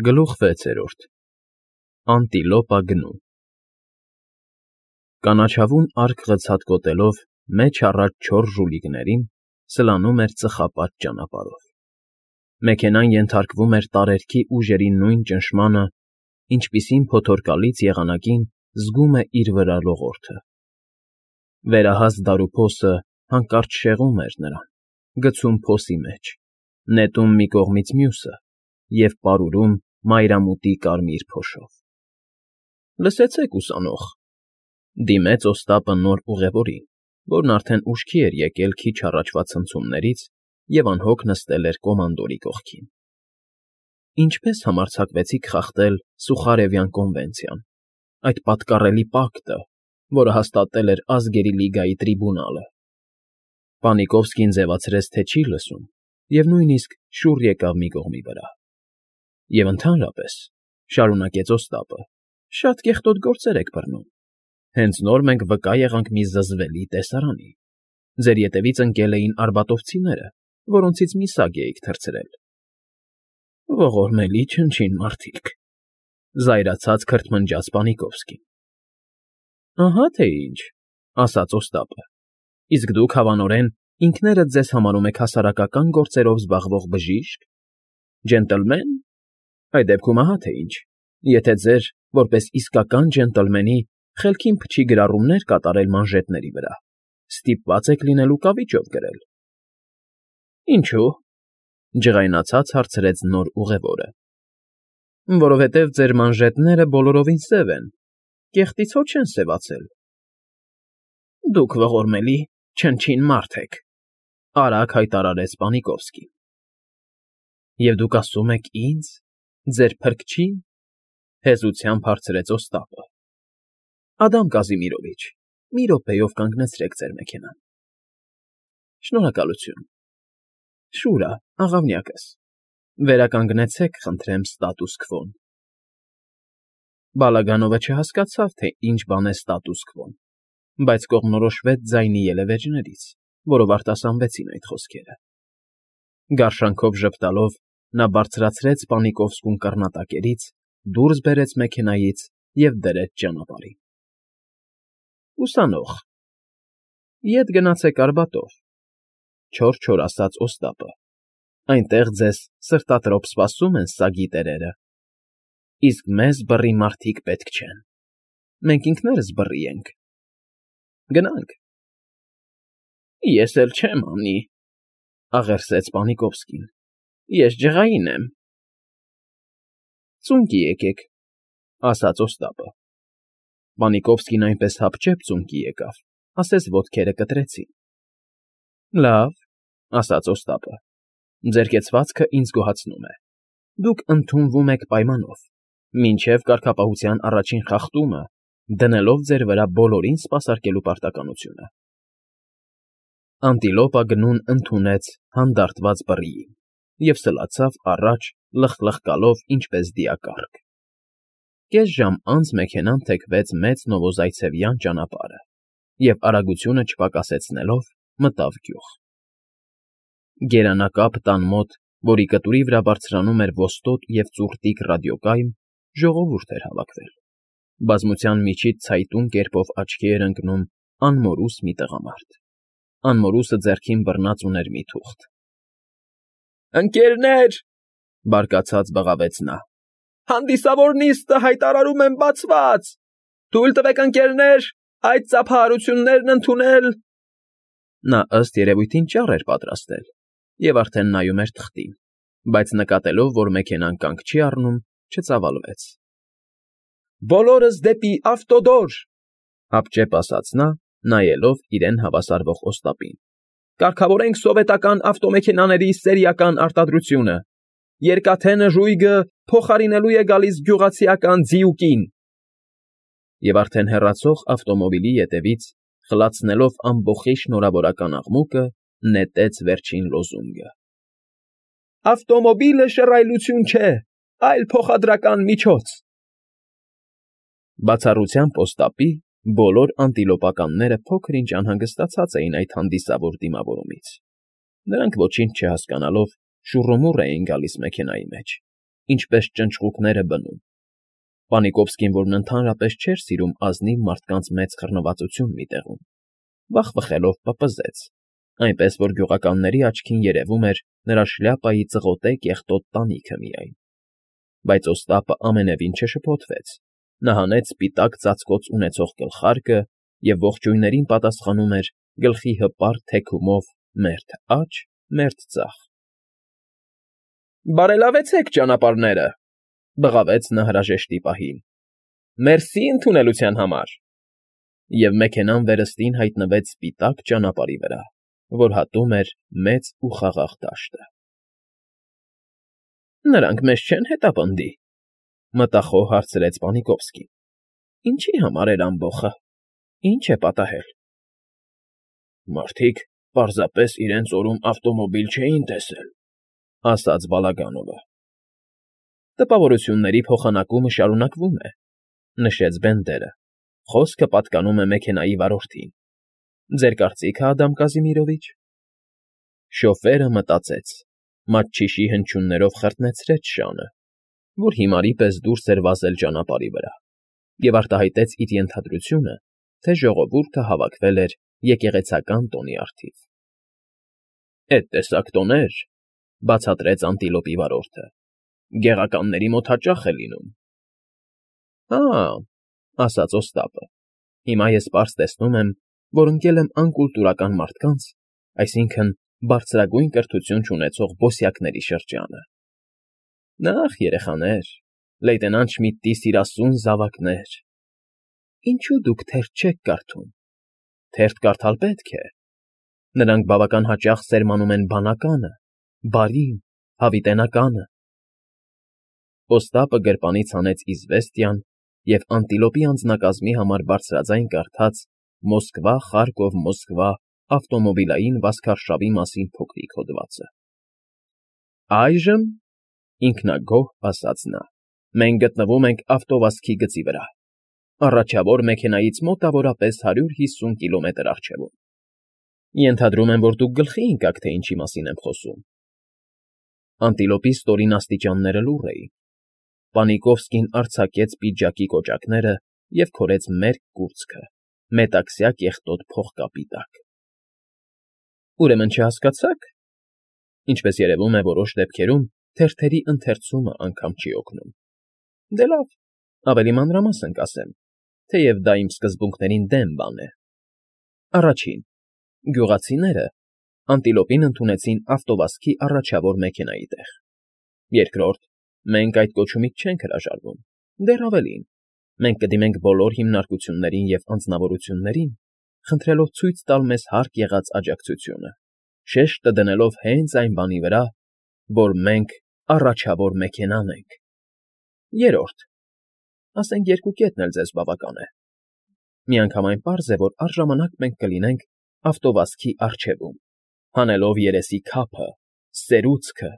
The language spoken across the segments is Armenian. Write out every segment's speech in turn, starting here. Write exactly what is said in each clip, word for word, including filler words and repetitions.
Գլուխ վեցերորդ Անտիլոպա գնում Կանաչավուն արկ ղցած մեջ առած չորս ժուլիկներին սլանում էր ծխապատ ճանապարհով. մեքենան ենթարկվում էր տարերքի ուժերի նույն ճնշմանը, ինչպիսին փոթորկալից եղանակին զգում է իր վրա լողորդը. վերահասկ դարուփոսը հանկարծ շեղում էր նրան, գցում փոսի մեջ, նետում մի կողմից մյուսը և պարուրում մայրամուտի կարմիր փոշով։ ֊ Լսեցեք, ուսանող,֊ դիմեց Օստապը նոր ուղևորին, որն արդեն ուշքի էր եկել քիչ առաջվա ցնցումներից և անհոգ նստել էր կոմանդորի կողքին,֊ ինչպե՞ս համարձակվեցիք խախտել Սուխարևյան կոնվենցիան, այդ պատկառելի պակտը, որը հաստատել էր Ազգերի լիգայի տրիբունալը։ Պանիկովսկին ձևացրեց, թե չի լսում և նույնիսկ շուռ եկավ մի կողմի վրա։ ֊ Եվ ընդհանրապես,֊ շարունակեց Օստապը,֊ շատ կեղտոտ գործեր եք բռնում. հենց նոր մենք վկա եղանք մի զզվելի տեսարանի. ձեր ետևից ընկել էին արբատովցիները, որոնցից մի սագ էիք թռցրել։ ֊ Ողորմելի չնչին մարդիկ,֊ զայրացած քրթմնջաց Պանիկովսկին։ ֊ Ահա թե ինչ,֊ ասաց Օստապը,֊ իսկ դուք հավանորեն ինքներդ ձեզ համարում եք հասարակական գործերով զբաղվող բժի՞շկ, ջենտլմե՞ն, այդ դեպքում ահա թե ինչ. եթե ձեր, որպես իսկական ջենտլմենի, խելքին փչի գրառումներ կատարել մանժետների վրա, ստիպված եք լինելու կավիճով կրել։ ֊ Ինչո՞ւ,֊ ջղայնացած հարցրեց նոր ուղևորը։ ֊ Որովհետև ձեր մանժետները բոլորովին սև են, կեղտից հո չեն սևացել։ ֊ Դուք ողորմելի չնչին մարդ եք,֊ արագ հայտարարեց Պանիկովսկին։ ֊ Եվ դուք ասում եք ինձ, ձեր փրկչի՞ն,֊ հեզությամբ հարցրեց Օստապը։ ֊ Ադամ Կազիմիրովիչ, մի րոպեով կանգնեցրեք ձեր մեքենան։ ֊ Շնորհակալություն։ Շուրա, աղավնյակս, վերականգնեցեք, խնդրեմ, ստատուս քվոն։ Բալագանովը չհասկացավ, թե ինչ բան է ստատուս քվոն, բայց կողմնորոշվեց ձայնի ելևէջներից, որով արտասանվեցին այդ խոսքերը։ Գարշանքով ժպտալով նա բարձրացրեց Պանիկովսկուն կռնատակերից, դուրս բերեց մեքենայից և դրեց ճանապարհին։ ֊ Ուսանող, ետ գնացեք Արբատով,֊ չոր֊չոր ասաց Օստապը,֊ այնտեղ ձեզ սրտատրոփ սպասում են սագի տերերը, իսկ մեզ բռի մարդիկ պետք չեն, մենք ինքներս բռի ենք։ Գնա՛նք։ ֊ Ես էլ չեմ անի,֊ աղերսեց Պանիկովսկին,֊ ես ջղային եմ։ ֊ Ծունկի եկեք,֊ ասաց Օստապը։ Պանիկովսկին այնպես հապճեպ ծունկի եկավ, ասես ոտքերը կտրեցին։ ֊ Լավ,֊ ասաց Օստապը,֊ ձեր կեցվածքը ինձ գոհացնում է, դուք ընդունվում եք պայմանով, մինչև կարգապահության առաջին խախտումը, դնելով ձեր վրա բոլորին սպասարկելու պարտականությունը։ Անտիլոպա գնուն ընդունեց հանդարտված բռիին և սլացավ առաջ, լխլխկալով ինչպես դիակառք։ Կես ժամ անց մեքենան թեքվեց մեծ նովոզայցևյան ճանապարհը և, արագությունը չպակասեցնելով, մտավ գյուղ։ Գերանակապ տան մոտ, որի կտուրի վրա բարձրանում էր ոստոտ և ծուռտիկ ռադիոկայմ, ժողովուրդ էր հավաքվել։ Բազմության միջից ցայտուն կերպով աչքի էր ընկնում անմորուս մի տղամարդ։ Անմորուսը ձեռքին բռնած ուներ մի թուղթ։ ֊ Ընկ.-ներ,֊ բարկացած բղավեց նա,֊ հանդիսավոր նիստը հայտարարում եմ բացված. թույլ տվեք, ընկ.-ներ, այդ ծափահարություններն ընդունել… Նա ըստ երևույթին ճառ էր պատրաստել և արդեն նայում էր թղթին, բայց նկատելով, որ մեքենան կանգ չի առնում, չծավալվեց։ ֊ Բոլորս դեպի ավտոդոր,֊ հապճեպ ասաց նա, նայելով իրեն հավասարվող Օստապին,֊ կարգավորենք սովետական ավտոմեքենաների սերիական արտադրությունը… Երկաթե նժույգը փոխարինելու է գալիս գյուղացիական ձիուկին… Եվ արդեն հեռացող ավտոմոբիլի ետևից, խլացնելով ամբոխի շնորհավորական աղմուկը, նետեց վերջին լոզունգը. Ավտոմոբիլը շռայլություն չէ, այլ փոխադրական միջոց… Բացառությամբ Օստապի, բոլոր անտիլոպականները փոքր֊ինչ անհանգստացած էին այդ հանդիսավոր դիմավորումից. նրանք ոչինչ չհասկանալով շուռումուռ էին գալիս մեքենայի մեջ ինչպես ճնճղուկները բնում։ Պանիկովսկին, որն ընդհանրապես չէր սիրում ազնիվ մարդկանց մեծ խռնվածություն մի տեղում, վախվխելով պպզեց, այնպես որ գյուղականների աչքին երևում էր նրա շլյապայի ծղոտե կեղտոտ տանիքը միայն։ Բայց Օստապը ամենևին չշփոթվեց, նա հանեց սպիտակ ծածկոց ունեցող գլխարկը և ողջույններին պատասխանում էր գլխի հպարտ թեքումով մերթ աջ, մերթ ձախ։ ֊ Բարելավեցեք ճանապարհները,֊ բղավեց նա հրաժեշտի պահին։֊ Մերսի ընդունելության համար… Եվ մեքենան վերստին հայտնվեց սպիտակ ճանապարհի վրա, որ հատում էր մեծ ու խաղաղ դաշտը։ «Նրանք մեզ չեն հետապնդի,֊ մտախոհ հարցրեց Պանիկովսկին։֊ Ինչի համար էր ամբոխը, ինչ է պատահել»։ «Մարդիկ պարզապես իրենց օրում ավտոմոբիլ չէին տեսել,֊ ասաց Բալագանովը։ «Տպավորությունների փոխանակումը շարունակվում է,֊ նշեց Բենդերը,֊ խոսքը պատկանում է մեքենայի վարորդին։ Ձեր կարծիքը, Ադամ Կազիմիրովիչ…» Շոֆերը մտածեց, մատչիշի հնչյուններով խրտնեցրեց շանը, որ հիմարի պես դուրս էր վազել ճանապարհի վրա, և արտահայտեց իր ենթադրությունը, թե ժողովուրդը հավաքվել էր եկեղեցական տոնի առթիվ։ «Էդ տեսակ տոներ,֊ բացատրեց անտիլոպի վարորդը,֊ գեղականների մոտ հաճախ է լինում»։ «Հա՛,֊ ասաց Օստապը,֊ հիմա ես պարզ տեսնում եմ, որ ընկել եմ անկուլտուրական մարդկանց, այսինքն՝ բարձրագույն կրթություն չունեցող բոսյակների շրջանը։ Նախ, երեխաներ, լեյտենանտ Շմիդտի սիրասուն զավակներ… Ինչո՞ւ դուք թերթ չեք կարդում։ Թերթ կարդալ պետք է։ Նրանք բավական հաճախ սերմանում են բանականը, բարին, հավիտենականը…» Օստապը գրպանից հանեց իզվեստիան և անտիլոպի անձնակազմի համար բարձրաձայն կարդաց «Մոսկվա, Խարկով, Մոսկվա» ավտոմոբիլային վազքարշավի մասին փոքրիկ հոդվածը։ «Այժմ,֊ ինքնագոհ ասաց նա,֊ մենք գտնվում ենք ավտովազքի գծի վրա, առաջավոր մեքենայից մոտավորապես հարյուր հիսուն կիլոմետր առջևում։ Ենթադրում եմ, որ դուք գլխի ընկաք, թե ինչի մասին եմ խոսում»։ Անտիլոպի ստորին աստիճանները լուռ էին։ Պանիկովսկին արձակեց պիջակի կոճակները և քորեց մերկ կուրծքը մետաքսյա կեղտոտ փողկապի տակ։ «Ուրեմն չհասկացա՞ք… Ինչպես երևում է, որոշ դեպքերում թերթերի ընթերցումը անգամ չի օգնում։ Դե լավ, ավելի մանրամասն կասեմ, թեև դա իմ սկզբունքներին դեմ բան է։ Առաջին, գյուղացիները անտիլոպին ընդունեցին ավտովազքի առաջավոր մեքենայի տեղ։ Երկրորդ, մենք այդ կոչումից չենք հրաժարվում, դեռ ավելին, մենք կդիմենք բոլոր հիմնարկություններին և անձնավորություններին, խնդրելով ցույց տալ մեզ հարկ եղած աջակցությունը, շեշտը դնելով հենց այն բանի վրա, որ մենք առաջավոր մեքենան ենք։ Երրորդ, ասենք երկու կետն էլ ձեզ բավական է. միանգամայն պարզ է, որ առժամանակ մենք կլինենք ավտովազքի առջևում, հանելով երեսի քափը, սերուցքը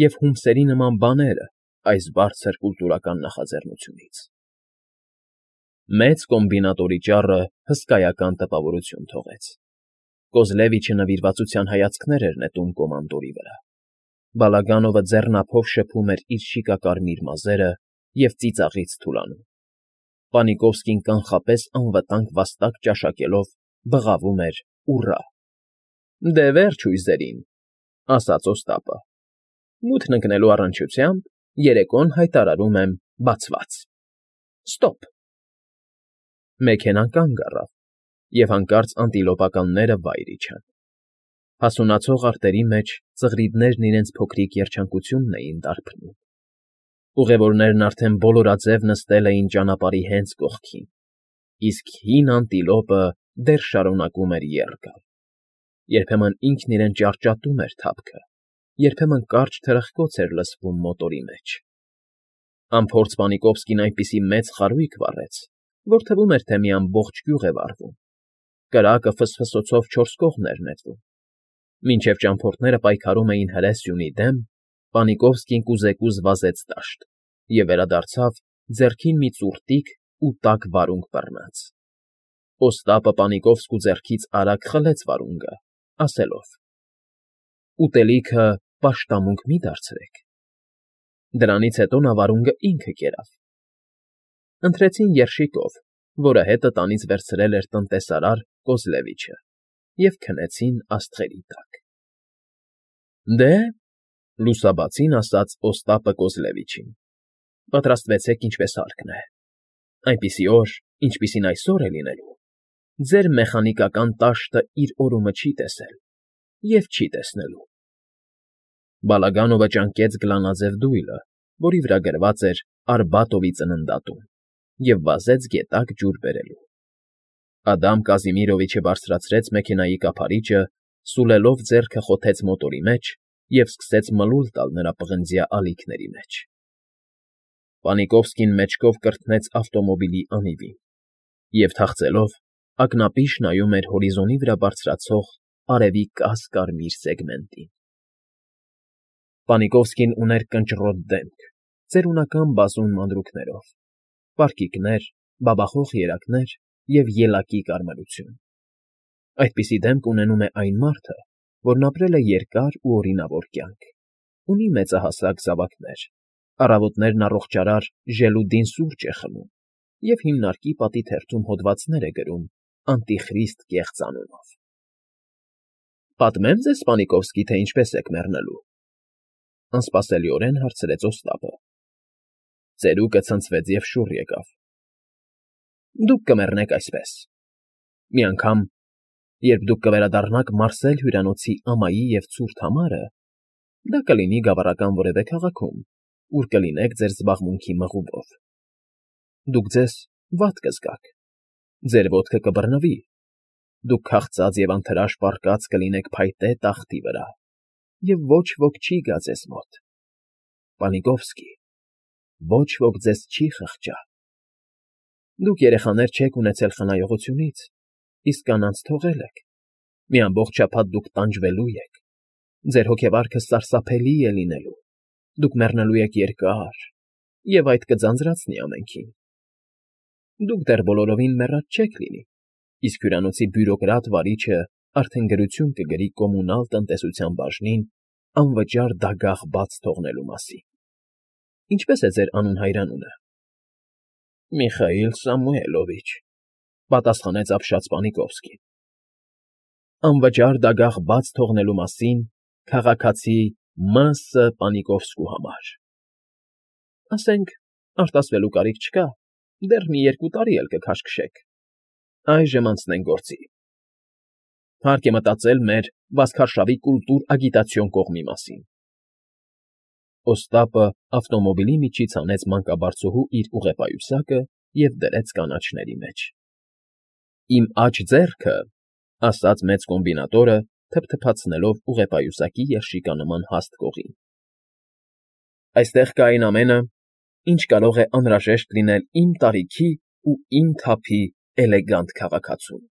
և հումսերի նման բաները այս բարձր կուլտուրական նախաձեռնությունից։ Մեծ կոմբինատորի ճառը հսկայական տպավորություն թողեց։ Կոզլևիչը նվիրվածության հայացքներ էր նետում կոմանդորի վրա։ Բալագանովը ձեռնափով շփում էր իր շիկակարմիր մազերը և ծիծաղից թուլանում։ Պանիկովսկին կանխապես անվտանգ վաստակ ճաշակելով բղավում էր «ուռա»։ «Դե վերջ հույզերին,֊ ասաց Օստապը,֊ մութն ընկնելու առնչությամբ երեկոն հայտարարում եմ բացված… Ստոպ»։ Մեքենան կանգ առավ, և հանկարծ անտիլոպականները վայր իջան։ Հասունացող արտերի մեջ ծղրիդներն իրենց փոքրիկ երջանկությունն էին դարբնում։ Ուղևորներն արդեն բոլորաձև նստել էին ճանապարհի հենց կողքին, իսկ հին անտիլոպը դեռ շարունակում էր եռ գալ։ Երբեմն ինքն իրեն ճարճատում էր թափքը, երբեմն կարճ թրխկոց էր լսվում մոտորի մեջ։ Անփորձ Պանիկովսկին այնպիսի մեծ խարույկ վառեց, որ թվում էր, թե մի ամբողջ գյուղ է վառվում։ Կրակը ֆսֆսոցով չորս կողմ էր նետվում։ Մինչև ճամփորդները պայքարում էին հրե սյունի դեմ, Պանիկովսկին կուզեկուզ վազեց դաշտ և վերադարձավ ձեռքին մի ծուռտիկ ու տաք վարունգ բռնած։ Օստապը Պանիկովսկու ձեռքից արագ խլեց վարունգը, ասելով. «Ուտելիքը պաշտամունք մի՛ դարձրեք»։ Դրանից հետո նա վարունգը ինքը կերավ։ Ընտրեցին երշիկով, որը հետը տանից վերցրել էր տնտեսարար Կոզլևիչը, և քնեցին աստղերի տակ։ ֊ Դե,֊ լուսաբացին ասաց Օստապը Կոզլևիչին,֊ պատրաստվեցեք ինչպես հարկն է. այնպիսի օր, ինչպիսին այսօր է լինելու, ձեր մեխանիկական տաշտը իր օրումը չի տեսել և չի տեսնելու։ Բալագանովը ճանկեց գլանաձև դույլը, որի վրա գրված էր Արբատովի ծննդատուն, և վազեց գետակ ջուր բերելու։ Ադամ Կազիմիրովիչը բարձրացրեց մեքենայի կափարիչը, սուլելով ձեռքը խոթեց մոտորի մեջ և սկսեց մլուլ տալ նրա պղնձյա ալիքների մեջ։ Պանիկովսկին մեջքով կրթնեց ավտոմոբիլի անիվին և, թախծելով, ակնապիշ նայում էր հորիզոնի վրա բարձրացող արևի կաս֊կարմիր սեգմենտին։ Պանիկովսկին ուներ կնճռոտ դեմք, ծերունական բազում մանրուքներով, պարկիկներ, բաբախող երակներ և ելակի կարմրություն։ Այդպիսի դեմք ունենում է այն մարդը, որն ապրել է երկար ու օրինավոր կյանք, ունի մեծահասակ զավակներ, առավոտներն առողջարար ժելուդին սուրճ է խմում և հիմնարկի պատի թերթում հոդվածներ է գրում «Անտիխրիստ» կեղծ անունով։ ֊ Պատմե՞մ ձեզ, Պանիկովսկի, թե ինչպես եք մեռնելու,֊ անսպասելիորեն հարցրեց Օստապը։ Ծերուկը ցնցվեց և շուռ եկավ։ ֊ Դուք կմեռնեք այսպես. մի անգամ, երբ դուք կվերադառնաք Մարսել հյուրանոցի ամայի և ցուրտ համարը, դա կլինի գավառական որևէ քաղաքում, ուր կլինեք ձեր զբաղմունքի մղուվով, դուք ձեզ վատ կզգաք, ձեր ոտքը կբռնվի, դուք քաղցած և անթրաշ պառկած կլինեք փայտե տախտի վրա, և ոչ ոք չի գա ձեզ մոտ։ Պանիկովսկի, ոչ ոք ձեզ չի խղճա։ Դուք երեխաներ չեք ունեցել խնայողությունից, իսկ կանանց թողել եք, մի ամբողջ շաբաթ դուք տանջվելու եք, ձեր հոգեվարքը սարսափելի է լինելու, դուք մեռնելու եք երկար, և այդ կձանձրացնի ամենքին։ Դուք դեռ բոլորովին մեռած չեք լինի, իսկ հյուրանոցի բյուրոկրատ վարիչը արդեն գրություն կգրի կոմունալ տնտեսության բաժնին անվճար դագաղ բաց թողնելու մասին։ Ինչպե՞ս է ձեր անուն֊հայրանունը։ ֊ Միխայիլ Սամուելովիչ,֊ պատասխանեց ապշած Պանիկովսկին։ ֊ Անվճար դագաղ բաց թողնելու մասին քաղաքացի Մ. Ս. Պանիկովսկու համար։ ֊ Ասենք, արտասվելու կարիք չկա, դեռ մի երկու տարի էլ կքաշքշեք, այժմ անցնենք գործի։ Հարկ է մտածել մեր վազքարշավի կուլտուր֊ագիտացիոն կողմի մասին։ Օստապը ավտոմոբիլի միջից հանեց մանկաբարձուհու իր ուղեպայուսակը և դրեց կանաչների մեջ։ ֊ Իմ աջ ձեռքը,֊ ասաց մեծ կոմբինատորը, թփթփացնելով ուղեպայուսակի երշիկանման հաստ կողին,֊ այստեղ կա այն ամենը, ինչ կարող է անհրաժեշտ լինել իմ տարիքի ու իմ թափի էլեգանտ քաղաքացուն։